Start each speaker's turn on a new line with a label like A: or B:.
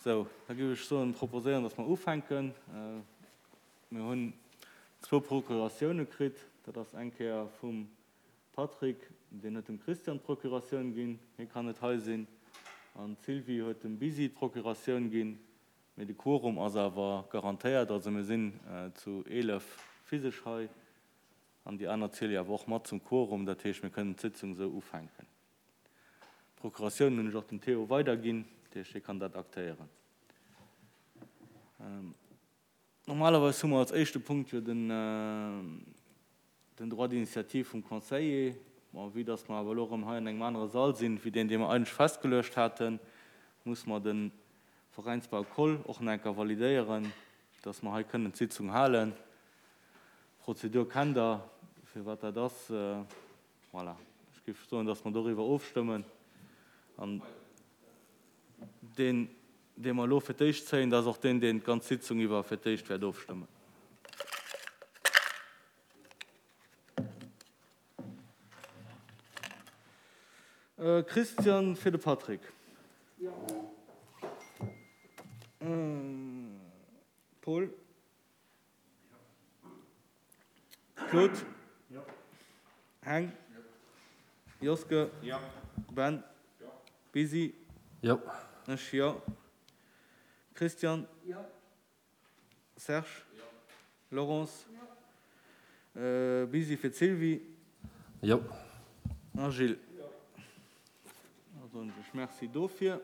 A: Sou, da géif ech soen, proposéieren, dass mer ufänken. Mir hunn zwou Procuratioune kritt. Dat ass eng Kéier vum Patrick, deen huet dem Christian d'Procuratioun ginn, hie kann net hei sinn. An d'Sylvie huet dem Bisi d'Procuratioun ginn. Mee de Quorum ass awer garantéiert, also mir sinn zu 11 physesch hei an déi aner ziele jo awer och mat zum Quorum. Dat heescht, mir kënnen d'Sitzung esou ufänken. D'Procuratioun hunn ech och dem Théo weiderginn, dat heescht, hie kann dat aktéieren. Normalerweis hu mer als éischte Punkt jo den Droit d'initiative vum Conseiller. Bon, vue dass mer awer elo erëm hei an engem anere Sall sinn, wéi deen, dee mer eigentlech festgeluecht haten, muss mer de Veräinsbau Koll och nach eng Kéier validéieren, dass mer hei kënnen d'Sitzung halen. D'Prozedur kennt Der, firwat dat ass. Voilà, ech géif soen, dass mer doriwwer ofstëmmen. An deen, dee mer elo fir d'éischt zéien, dat ass och deen, deen d'ganz Sitzung iwwer fir d'éischt wäert ofstëmmen. Christian fir de Patrick. Jo. Paul. Claude. Jo. Heng. Jo. Joske. Jo. Ben. Jo. Bisi.
B: Jo.
A: Ech jo. Christian.
C: Jo.
A: Serge. Jo. Laurence. Jo. Bisi fir d'Sylvie.
B: Jo.
A: A Gilles. Jo. Da soen ech Merci dofir.